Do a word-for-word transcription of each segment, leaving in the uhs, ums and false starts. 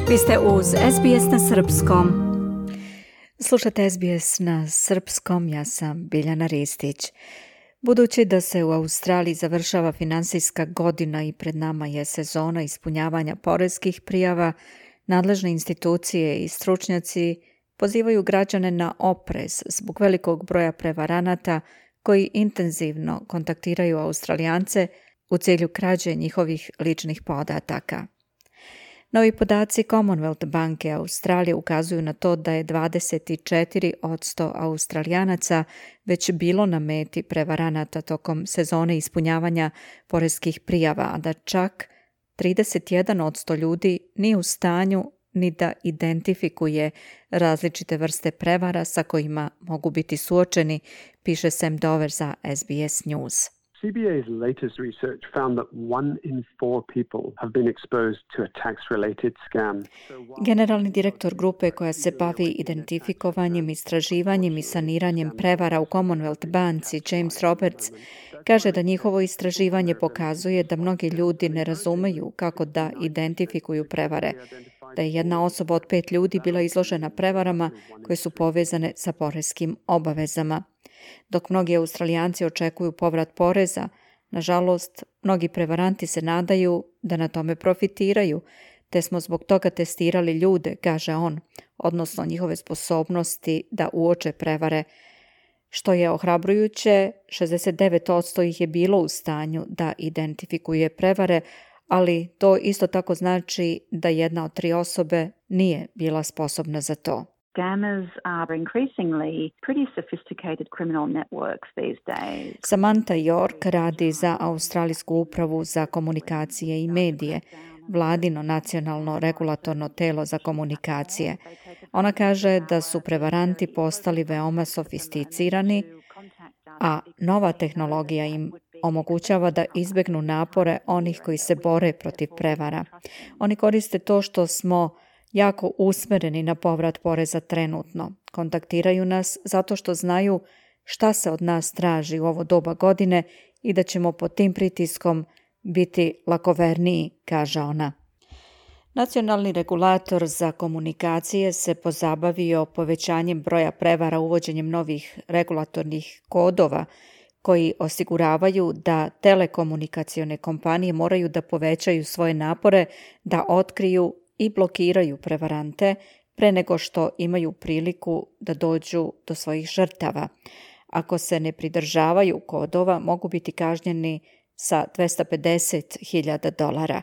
Vi ste uz S B S na srpskom. Slušate S B S na srpskom, ja sam Biljana Ristić. Budući da se u Australiji završava finansijska godina i pred nama je sezona ispunjavanja poreskih prijava, nadležne institucije i stručnjaci pozivaju građane na oprez zbog velikog broja prevaranata koji intenzivno kontaktiraju Australijance u cilju krađe njihovih ličnih podataka. Novi podaci Commonwealth banke Australije ukazuju na to da je dvadeset četiri posto Australijanaca već bilo na meti prevaranata tokom sezone ispunjavanja poreskih prijava, a da čak trideset jedan posto ljudi nije u stanju ni da identifikuje različite vrste prevara sa kojima mogu biti suočeni, piše Sam Dover za S B S News. C B A's latest research found that one in four people have been exposed to a tax-related scam. Generalni direktor grupe koja se bavi identifikovanjem, istraživanjem i saniranjem prevara u Commonwealth banci, James Roberts, kaže da njihovo istraživanje pokazuje da mnogi ljudi ne razumeju kako da identifikuju prevare, da je jedna osoba od pet ljudi bila izložena prevarama koje su povezane sa poreskim obavezama. Dok mnogi Australijanci očekuju povrat poreza, nažalost, mnogi prevaranti se nadaju da na tome profitiraju, te smo zbog toga testirali ljude, kaže on, odnosno njihove sposobnosti da uoče prevare. Što je ohrabrujuće, šezdeset devet posto ih je bilo u stanju da identifikuje prevare, ali to isto tako znači da jedna od tri osobe nije bila sposobna za to. Scammers are increasingly pretty sophisticated criminal networks these days. Samantha York radi za Australijsku upravu za komunikacije i medije, vladino nacionalno regulatorno telo za komunikacije. Ona kaže da su prevaranti postali veoma sofisticirani, a nova tehnologija im omogućava da izbegnu napore onih koji se bore protiv prevara. Oni koriste to što smo jako usmereni na povrat poreza trenutno. Kontaktiraju nas zato što znaju šta se od nas traži u ovo doba godine i da ćemo pod tim pritiskom biti lakoverniji, kaže ona. Nacionalni regulator za komunikacije se pozabavio povećanjem broja prevara uvođenjem novih regulatornih kodova koji osiguravaju da telekomunikacione kompanije moraju da povećaju svoje napore da otkriju i blokiraju prevarante pre nego što imaju priliku da dođu do svojih žrtava. Ako se ne pridržavaju kodova, mogu biti kažnjeni sa dvesta pedeset hiljada dolara.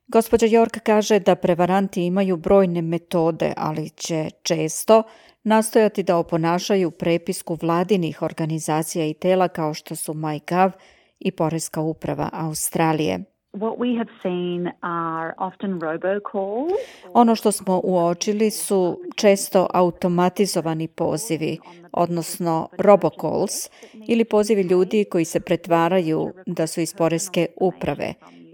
Gospođa York kaže da prevaranti imaju brojne metode, ali će često nastojati da oponašaju prepisku vladinih organizacija i tela kao što su MyGov i Poreska uprava Australije. What we have seen are often robocalls. Ono što smo uočili su često automatizovani pozivi, odnosno robocalls, ili pozivi ljudi koji se pretvaraju da su iz Poreske uprave.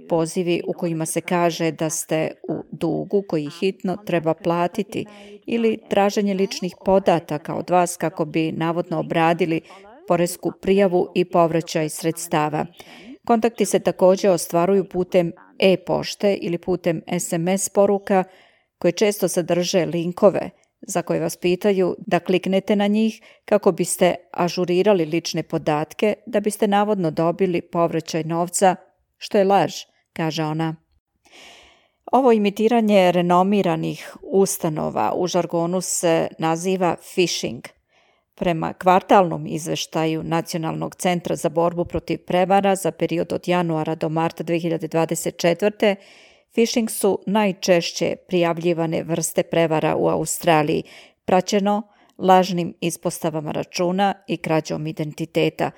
Pozivi u kojima se kaže da ste u dugu koji hitno treba platiti ili traženje ličnih podataka od vas kako bi navodno obradili poresku prijavu i povraćaj sredstava. Kontakti se također ostvaruju putem e-pošte ili putem S M S poruka koje često sadrže linkove za koje vas pitaju da kliknete na njih kako biste ažurirali lične podatke da biste navodno dobili povraćaj novca, što je laž, kaže ona. Ovo imitiranje renomiranih ustanova u žargonu se naziva phishing. Prema kvartalnom izveštaju Nacionalnog centra za borbu protiv prevara za period od januara do marta dve hiljade dvadeset četvrte. phishing su najčešće prijavljivane vrste prevara u Australiji, praćeno lažnim ispostavama računa i krađom identiteta.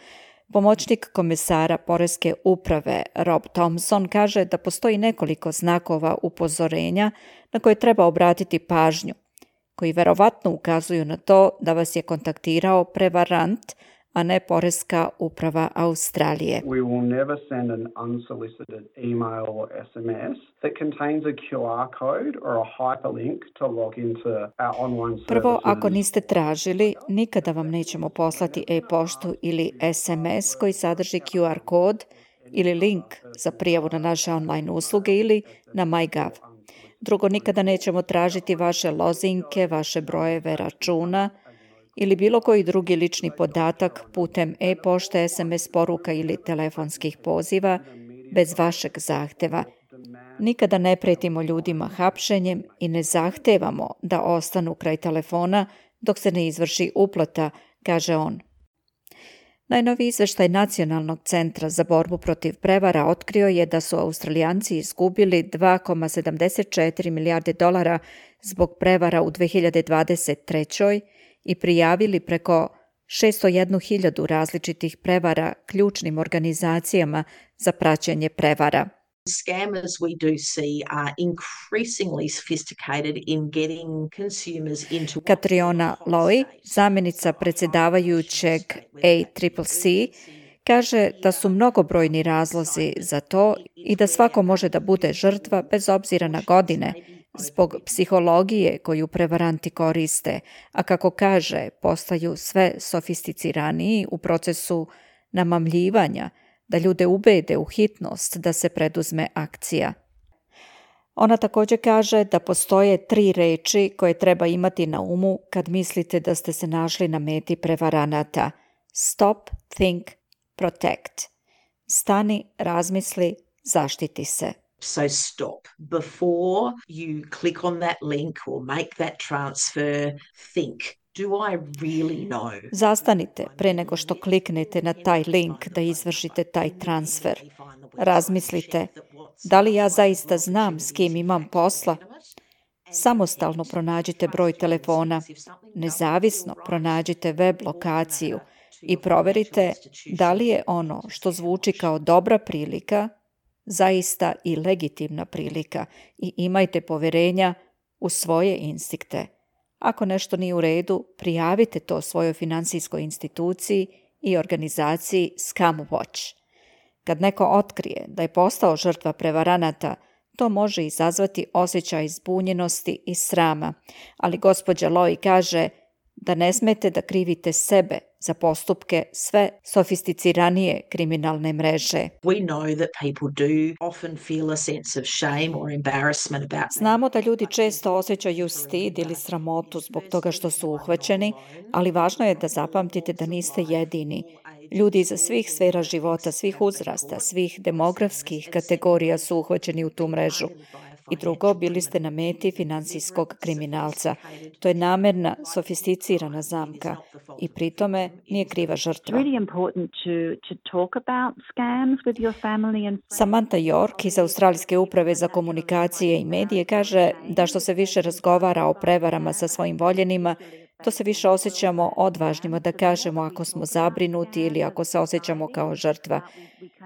Pomoćnik komesara Poreske uprave Rob Thompson kaže da postoji nekoliko znakova upozorenja na koje treba obratiti pažnju, koji verovatno ukazuju na to da vas je kontaktirao prevarant, a ne Poreska uprava Australije. We will never send an unsolicited email or S M S that contains a Q R code or a hyperlink to log into our online services. Prvo, ako niste tražili, nikada vam nećemo poslati e-poštu ili S M S koji sadrži Q R kod ili link za prijavu na naše online usluge ili na MyGov. Drugo, nikada nećemo tražiti vaše lozinke, vaše brojeve računa ili bilo koji drugi lični podatak putem e-pošte, es em es poruka ili telefonskih poziva bez vašeg zahteva. Nikada ne pretimo ljudima hapšenjem i ne zahtevamo da ostanu kraj telefona dok se ne izvrši uplata, kaže on. Najnoviji izveštaj Nacionalnog centra za borbu protiv prevara otkrio je da su Australijanci izgubili dva zarez sedamdeset četiri milijarde dolara zbog prevara u dve hiljade dvadeset trećoj i prijavili preko šesto jednu hiljadu različitih prevara ključnim organizacijama za praćenje prevara. Scammers we do see are increasingly sophisticated in getting consumers into... Katriona Lowy, zamjenica predsjedavajućeg A C C C, kaže da su mnogobrojni razlozi za to i da svako može da bude žrtva bez obzira na godine, zbog psihologije koju prevaranti koriste, a kako kaže, postaju sve sofisticiraniji u procesu namamljivanja, da ljude ubede u hitnost da se preduzme akcija. Ona također kaže da postoje tri reči koje treba imati na umu kad mislite da ste se našli na meti prevaranata. Stop, think, protect. Stani, razmisli, zaštiti se. So stop. Before you click on that link or make that transfer, think. Do I really know? Zastanite pre nego što kliknete na taj link da izvršite taj transfer. Razmislite, da li ja zaista znam s kim imam posla? Samostalno pronađite broj telefona, nezavisno pronađite web lokaciju i proverite da li je ono što zvuči kao dobra prilika zaista i legitimna prilika i imajte poverenja u svoje instinkte. Ako nešto nije u redu, prijavite to svojoj finansijskoj instituciji i organizaciji ScamWatch. Kad neko otkrije da je postao žrtva prevaranata, to može izazvati osjećaj zbunjenosti i srama, ali gospođa Lowy kaže da ne smete da krivite sebe za postupke sve sofisticiranije kriminalne mreže. We know that people do often feel a sense of shame or embarrassment about. Znamo da ljudi često osjećaju stid ili sramotu zbog toga što su uhvaćeni, ali važno je da zapamtite da niste jedini. Ljudi iz svih sfera života, svih uzrasta, svih demografskih kategorija su uhvaćeni u tu mrežu. I drugo, bili ste na meti finansijskog kriminalca. To je namerna, sofisticirana zamka i pri tome nije kriva žrtva. Samantha York iz Australijske uprave za komunikacije i medije kaže da što se više razgovara o prevarama sa svojim voljenima, to se više osjećamo odvažnima da kažemo ako smo zabrinuti ili ako se osjećamo kao žrtva.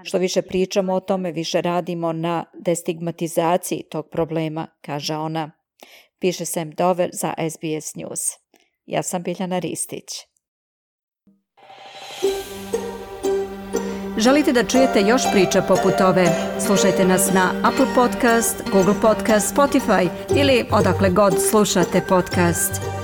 Što više pričamo o tome, više radimo na destigmatizaciji tog problema, kaže ona. Piše Sam Dover za S B S News. Ja sam Biljana Ristić. Želite da čujete još priča poput ove? Slušajte nas na Apple Podcast, Google Podcast, Spotify ili odakle god slušate podcast.